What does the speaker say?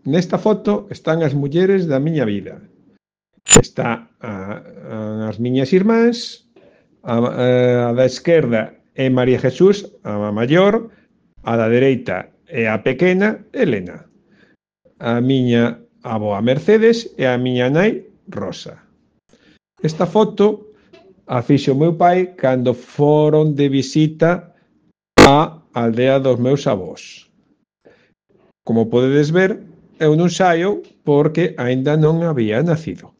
Nesta foto están as mulleres da miña vida. Está as miñas irmáns, a da esquerda é María Jesús, a maior, a da dereita é a pequena, Elena. A miña avoa Mercedes e a miña nai Rosa. Esta foto a fixo o meu pai cando foron de visita á aldea dos meus avós. Como podedes ver, eu non saio porque aínda non había nacido.